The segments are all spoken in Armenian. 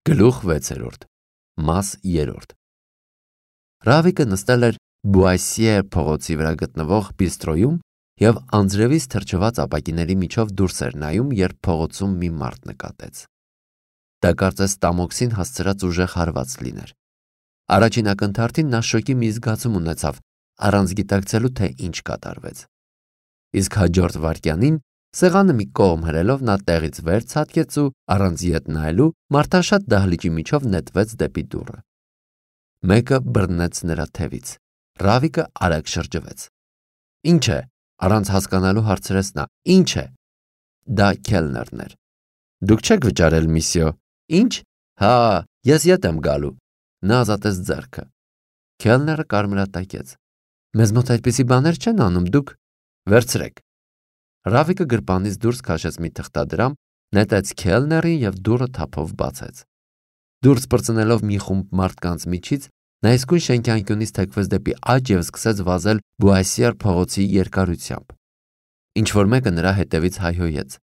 Գլուխ 6. Մաս 3. Ռավիկը նստել էր Բուասիեր փողոցի վրա գտնվող բիստրոյում և անձրևից թրջված ապակիների միջով դուրս էր նայում, երբ փողոցում մի մարդ նկատեց։ Դա կարծես տամոքսին հասցրած ուժեղ հարված լիներ։ Առաջին ակնթարթին նա շոկի մի զգացում ունեցավ, առանց գիտակցելու, թե ինչ կատարվեց։ Իսկ հաջորդ վայրկյանին սեղանը մի կողմ հրելով նա տեղից վեր ցատկեց ու առանց ետ նայելու մարդաշատ դահլիճի միջով նետվեց դեպի դուռը։ Մեկը բռնեց նրա թևից։ Ռավիկը արագ շրջվեց։ Ինչ է, առանց հասկանալու հարցրեց նա։ Ինչ է։ Դա քելներն էր։ Դուք չեք վճարել, միսյո։ Ինչ։ Հա, ես ետ եմ գալու։ Նա ազատեց ձեռքը։ Քելները կարմրատակեց։ Մեզ մոտ այդպիսի բաներ չեն անում, դուք վերցրեք։ Ռավիկը գրպանից դուրս քաշեց մի թղթադրամ, նետեց քելներին և դուռը թափով բացեց։ Դուրս պրծնելով մի խումբ մարդկանց միջից, նա իսկույն շենքի անկյունից թեքվեց դեպի աջ և սկսեց վազել Բուասիեր փողոցի երկարությամբ։ Ինչ-որ մեկը նրա հետևից հայհոյեց։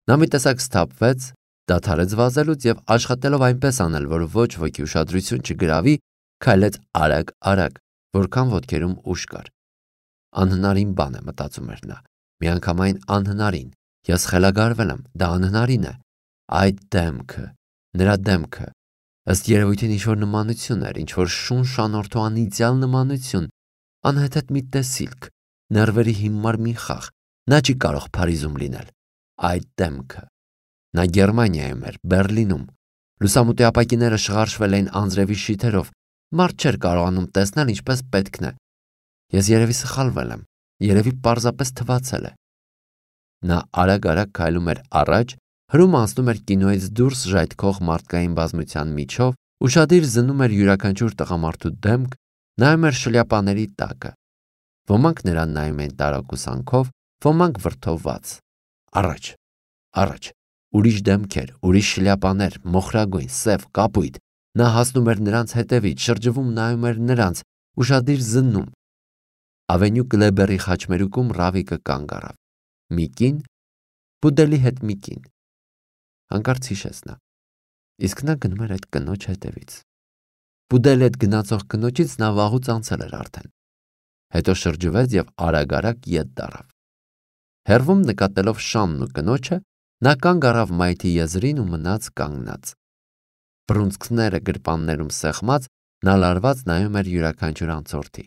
Նա մի տեսակ սթափվեց, դադարեց վազելուց և աշխատելով այնպես անել, որ ոչ ոքի ուշադրություն չգրավի, քայլեց արագ, որքան ոտքերում ուժ կար։ Անհնարին բան է, մտածում էր նա, միանգամայն անհնարին, ես խելագարվել եմ, դա անհնարին է։ Այդ դեմքը, նրա դեմքը, ըստ երևույթին ինչ-որ նմանություն էր, ինչ-որ շունչ անորդու անիծյալ նմանություն, անհեթեթ մի տեսիլք, ներվերի հիմար մի խաղ, նա չի կարող Փարիզում լինել։ Այդ դեմքը։ Նա Գերմանիայում էր, Բերլինում։ Լուսամուտի ապակիները շղարշվել էին անձրևի շիթերով, մարդ չէր կարողանում տեսնել ինչպես պետքն է։ Ես երևի սխալվել եմ, երևի պարզապես թվացել է։ Նա արագ քայլում էր առաջ, հրում անցնում էր կինոյից դուրս ժայթքող մարդկային բազմության միջով, ուշադիր զննում էր յուրաքանչյուր տղամարդու դեմք, նայում էր շլյապաների տակը։ Ոմանք նրան նայում էին տարակուսանքով, ոմանք վրդովված։ Առաջ, ուրիշ դեմքեր, ուրիշ շլյապաներ, մոխրագույն, սև, կապույտ։ Նա հասնում էր նրանց հետևից, շրջվում նայում էր նրանց, ուշադիր զննում։ Ավենյու Կլեբերի խաչմերուկում Ռավիկը կանգ առավ։ Մի կին, Բուդելի հետ մի կին։ Հանկարծ հիշեց նա։ Իսկ նա գնում էր այդ կնոջ հետևից։ Բուդելի հետ գնացող կնոջից նա վաղուց անցել էր արդեն։ Հետո շրջվեց և արագ ետ դառավ։ Հեռվում նկատելով Շանն ու կնոջը, նա կանգ առավ մայթի եզրին ու մնաց կանգնած։ Բռունցքները գրպաններում սեղմած, նա լարված նայում էր յուրաքանչյուր անցորդի։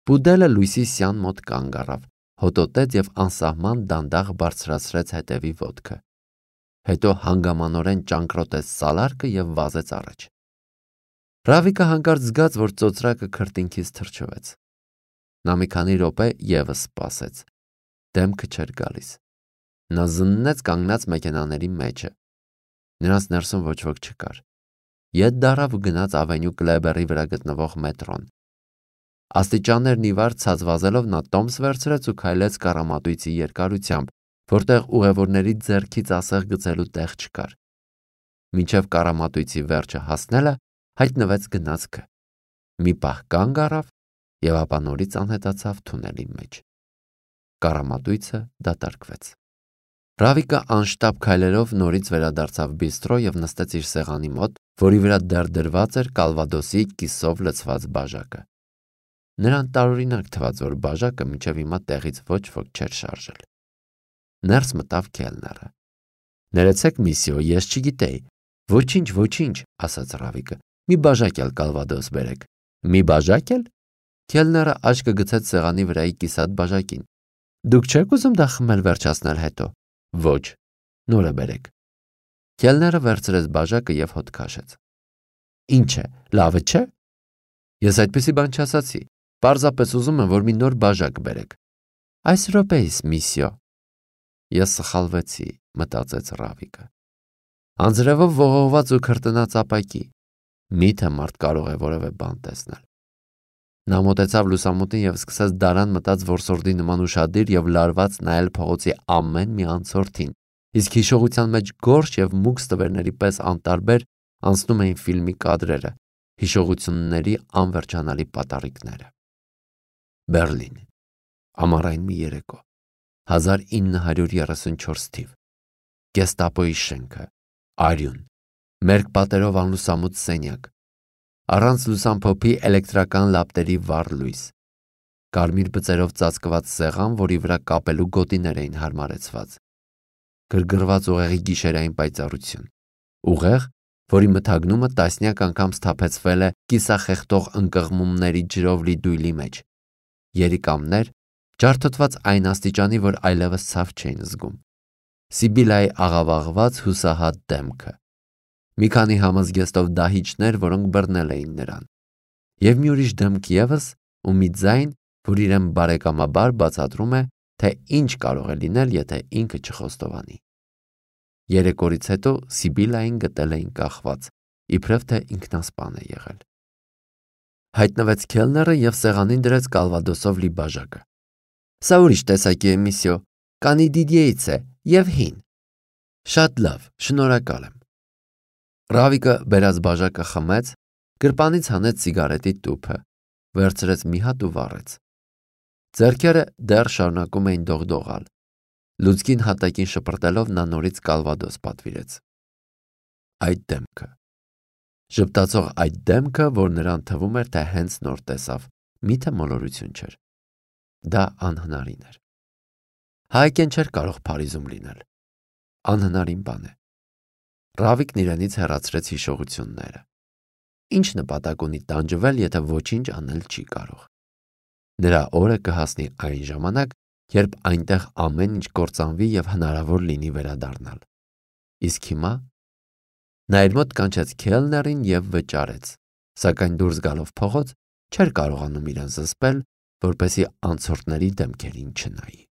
Բուդելը լույսի սյան մոտ կանգ առավ, հոտոտեց և անսահման դանդաղ բարձրացրեց հետևի ոտքը։ Հետո հանգամանորեն ճանկռոտեց սալարկը և վազեց առաջ։ Ռավիկը հանկարծ զգաց, որ ծոծրակը քրտինքից թրջվեց։ Նա մի քանի րոպե ևս սպասեց։ Դեմքը չէր գալիս։ Նա զննեց կանգնած մեքենաների մեջը։ Նրանց ներսում ոչ ոք չկար։ Ետ դառավ ու գնաց Ավենյու Կլեբերի վրա գտնվող մետրոն։ Աստիճաններն ի վար ցած վազելով նա տոմս վերցրեց ու քայլեց կառամատույցի երկարությամբ, որտեղ ուղևորների ձեռքից ասեղ գցելու տեղ չկար։ Մինչև կառամատույցի վերջը հասնելը հայտնվեց գնացքը։ Մի պահ կանգ առավ և ապա նորից անհետացավ թունելի մեջ։ Կառամատույցը դատարկվեց։ Ռավիկը անշտապ քայլերով նորից վերադարձավ բիստրո և նստեց իր սեղանի մոտ, որի վրա դեռ դրված էր Կալվադոսի կիսով լցված բաժակը։ Նրան տարօրինակ թվաց, որ բաժակը մինչև հիմա տեղից ոչ ոք չէր շարժել։ Ներս մտավ քելները։ Ներեցեք, միսյո, ես չգիտեի։ Ոչինչ, ասաց Ռավիկը։ Մի բաժակ էլ Կալվադոս բերեք։ Մի բաժակ էլ։ Քելները աչքը գցեց սեղանի վրայի կիսատ բաժակին։ Դուք չեք ուզում դա խմել վերջացնել հետո։ Ոչ, նորը բերեք։ Քելները վերցրեց բաժակը և հոտ քաշեց։ Ինչ է, լավը չէ։ Ես այդպիսի բան չասացի։ Պարզապես ուզում եմ, որ մի նոր բաժակ բերեք։ Այս րոպեիս, միսյո։ Ես սխալվեցի, մտածեց Ռավիկը։ Անձրևով ողողված ու քրտնած ապակի։ Միթե մարդ կարող է որևէ բան տեսնել։ Նա մոտեցավ լուսամուտին և սկսեց դարան մտած որսորդի նման ուշադիր և լարված նայել փողոցի ամեն մի անցորդին, իսկ հիշողության մեջ գորշ և մուգ ստվերների պես անտարբեր անցնում էին ֆիլմի կադրերը, հիշողությունների անվերջանալի պատառիկները։ Բերլին, ամառային մի երեկո, 1934 թիվ, Գեստապոյի շենքը, արյուն, մերկ պատերով անլուսամուտ սենյակ, առանց լուսամփոփի էլեկտրական լապտերի վառ լույս, կարմիր բծերով ծածկված սեղան, որի վրա կապելու գոտիներ էին հարմարեցված, գրգռված ուղեղի գիշերային պայծառություն, ուղեղ, որի մթագնումը տասնյակ անգամ սթափեցվել է կիսախեղդող ընկղմումների ջրով լի դույլի մեջ, երիկամներ, ջարդոտված այն աստիճանի, որ այլևս ցավ չէին զգում, Սիբիլայի աղավաղված հուսահատ դեմքը, մի քանի համազգեստով դահիճներ, որոնք բռնել էին նրան, և մի ուրիշ դեմք ևս ու մի ձայն, որ իրեն բարեկամաբար բացատրում է, թե ինչ կարող է լինել, եթե ինքը չխոստովանի։ Երեք օրից հետո Սիբիլային գտել էին կախված, իբրև թե ինքնասպան է եղել։ Հայտնվեց քելները և սեղանին դրեց կալվադոսով լի բաժակը։ Սա ուրիշ տեսակի է, միսյո, կանիդիդիեից է և հին։ Շատ լավ, շնորհակալ եմ։ Ռավիկը բերած բաժակը խմեց, գրպանից հանեց սիգարետի տուփը, վերցրեց մի հատ ու վառեց։ Ձեռքերը դեռ շարունակում էին դողդողալ։ Լուցկին հատակին շպրտելով նա նորից կալվադոս պատվիրեց։ Այդ դեմքը։ Ժպտացող այդ դեմքը, որ նրան թվում էր, թե հենց նոր տեսավ, միթե մոլորություն չէր։ Դա անհնարին էր։ Հայկեն չէր կարող Փարիզում լինել։ Անհնարին բան է։ Ռավիկն իրենից հեռացրեց հիշողությունները։ Ինչ նպատակ ունի տանջվել, եթե ոչինչ անել չի կարող։ Նրա օրը կհասնի այն ժամանակ, երբ այնտեղ ամեն ինչ կործանվի և հնարավոր լինի վերադառնալ։ Իսկ հիմա նա իր մոտ կանչեց քելներին և վճարեց, սակայն դուրս գալով փողոց չէր կարողանում իրեն զսպել, որպեսզի անցորդների դեմքերին չնայի։